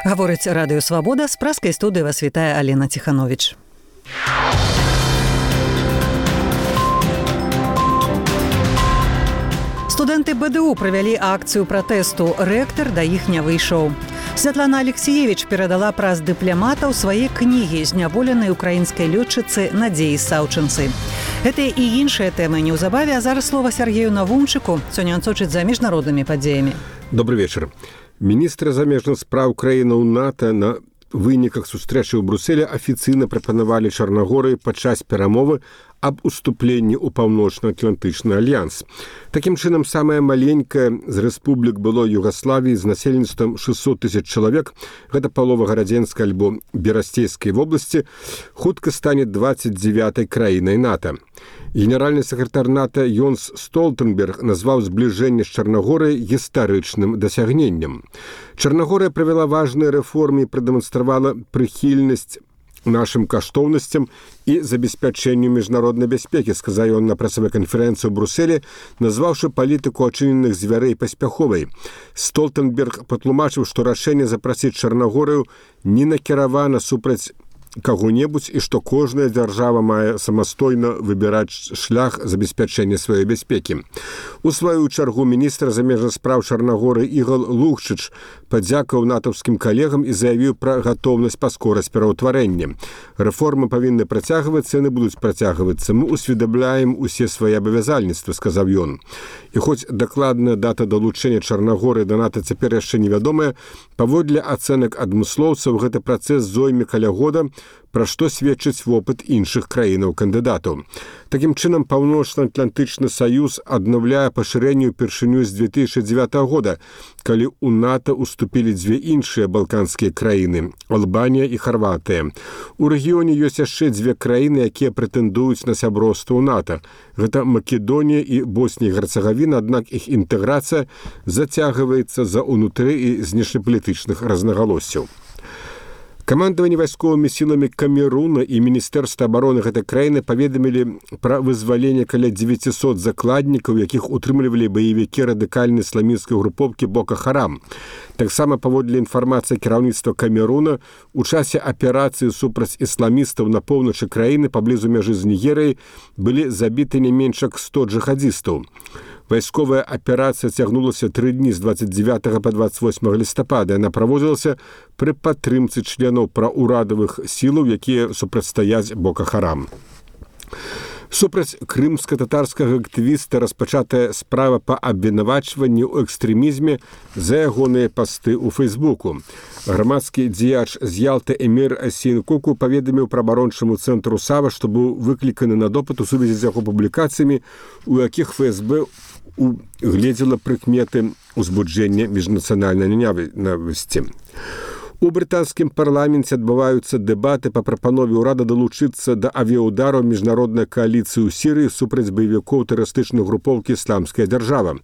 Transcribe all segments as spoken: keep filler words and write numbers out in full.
Гаворыць радыё «Свабода», з праскай студыі вас вітае Алена Ціхановіч. Студэнты бэ дэ у правялі акцыю пратэсту. Рэктар да іх не выйшаў. Святлана Алексеевич перадала праз дыпламатаў свае кнігі зняволенай украінскай лётчыцы Надзеі Саўчынцы. Гэтыя і іншыя тэмы неўзабаве, а зараз слова Сергею Навумчыку. Сёння ён сочыць за міжнароднымі падзеямі. Добрый вечер. Міністры замежных спраў краінаў НАТО на выніках сустрэчы ў Брусэлі афіцыйна прапанавалі Чарнагорыі падчас перамовы аб уступленні ў паўночна-атлантычны альянс. Такім чынам, самая маленькая з рэспублік былой Югаславіі з насельніцтвам шэсцьсот тысяч чалавек, гэта палова гарадзенскай альбо берасцейскай вобласці, хутка стане дваццаць дзевятай краінай НАТО. Генеральны сакратар НАТО Йонс Столтенберг назваў збліжэнне з Чарнагорай гістарычным дасягненнем. Чарнагорыя правяла важныя рэформы і прадэманстравала прыхільнасць нашим каштоўнасцям і забеспячэнню міжнароднай бяспекі, сказаў ён на працавой канферэнцыі ў Брусэлі, назваўшы палітыку ачыненых звярэй паспяховай. Столтенберг патлумачыў, што рашэнне запрасіць Чарнагорыю не накіравана супраць каго-небудзь і што кожная дзяржава мае самастойна выбіраць шлях забеспячэння сваёй бяспекі. У сваю чаргу міністр замежных спраў Чарнагорыі Ігор Лукшыч падзякаваў натаўскім калегам і заявіў пра гатоўнасць паскораць пераўтварэнне. Рэформы павінны працягвацца, яны будуць працягвацца. Мы усведамляем усе свае абавязальніцтвы, сказаў ён. І хоць дакладная дата далучэння Чарнагорыі да НАТО цяпер яшчэ невядомая, паводле ацэнак адмыслоўцаў гэты працэс зойме каля года, пра што сведчыць вопыт іншых краінаў-кандыдатаў. Такім чынам, Паўночна-Атлантычны саюз аднаўляе пашырэнне ўпершыню з две тысячы дзевятага года, калі ў НАТО уступілі дзве іншыя балканскія краіны – Албанія і Харватыя. У рэгіёне ёсць яшчэ дзве краіны, якія прэтэндуюць на сяброўства ў НАТО. Гэта Македонія і Боснія і Герцагавіна, аднак іх інтэграцыя зацягваецца з-за ўнутры і знешнепалітычных рознагалоссяў. Камандаванне вайсковымі сіламі Камеруна і Міністэрства абароны гэтай краіны паведамілі пра вызваленне каля дзевяцісот закладнікаў, якіх утрымлівалі баевікі радыкальнай ісламісцкай групоўкі Бока Харам. Таксама паводле інфармацыі кіраўніцтва Камеруна, у часе аперацыі супраць ісламістаў на поўначы краіны паблізу мяжы з Нігерыяй былі забіты не менш як сто джихадзістаў. Вайсковая аперацыя цягнулася тры дні з дваццаць дзевятага па дваццаць восьмага лістапада. Яна праводзілася пры падтрымцы членаў праўрадавых сілаў, якія супрацьстаяць Бока Харам. Супраць крымска-татарскага актывіста распачатая справа па абвінавачванні ў экстрэмізме за ягоныя пасты ў Фейсбуку. Грамадскі дзеяч з Ялты Эмір Асейн-Куку паведаміў праваабарончаму цэнтру САВА, што быў выкліканы на допыт у сувязі з яго публікацыямі, у якіх ФСБ угледзела прыкметы ўзбуджэння міжнацыянальнай нянавісці. У брытанскім парламенце адбываюцца дэбаты па прапанове ўрада далучыцца да авіяудараў міжнароднай кааліцыі ў Сірыі супраць баевікоў тэрарыстычнай групоўкі «Ісламская дзяржава».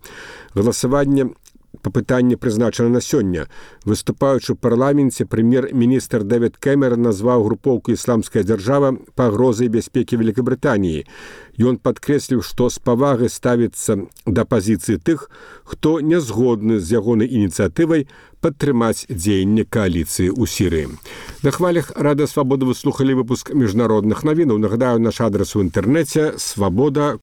Галасаванне па пытанні прызначана на сёння. Выступаючы ў парламенце, прэм'ер-міністр Дэвід Кэмерон назваў групоўку «Ісламская дзяржава» пагрозай бяспекі Великабрытаніі. Ён падкрэсліў, што з павагай ставіцца да пазіцыі тых, хто не згодны з ягонай ініцыятывай падтрымаць дзеянне кааліцыі ў Сірыі. На хвалях Радыё Свабода вы слухалі выпуск міжнародных навінаў. Нагадаю, наш адрас у інтэрнэце свабода